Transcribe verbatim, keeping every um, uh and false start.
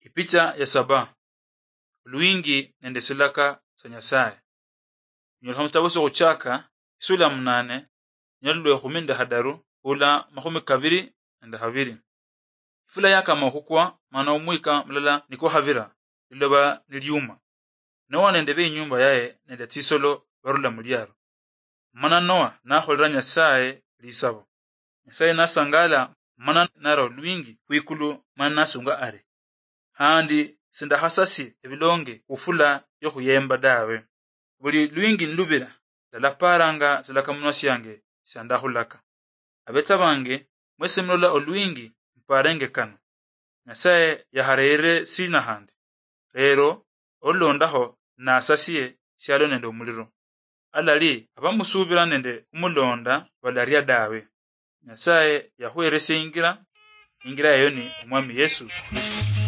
Ipicha ya saba. Olwingi nende silaka sa Nyasaye. Nyolekha musitabo syokhwechaka, isula ya munane, nyalulwa ekhumi nende hadaru, hula makhumi kabiri nende habiri. Ifula yakama okhukwa, mana omwika mulala nikwakhabira, liloba nilyuma. Noa nende beinyumba yaye nende tsisolo barula muliaro. Mana Noa nakholera Nyasaye lisabo. Nyasaye nasangala, mana nara olwingi khwikulu, mana nasunga ari, "Khandi sindakhasasie ebilonge khufula yokhuyemba dawe. Buli lwingi nilubira, ndalaparanga silakamunwa siange siandakhulaka. Abetsa bange, mwesi mulola olwingi, muparenge kano. Nyasaye yahareyere sina handi? Lero olulondaho nasasie sialo nende omuliro. Alali abamusubira nende khumulonda balaria dawe." Nyasaye yahuheresia ingira, ingira eyo ni Omwami Yesu Kristo.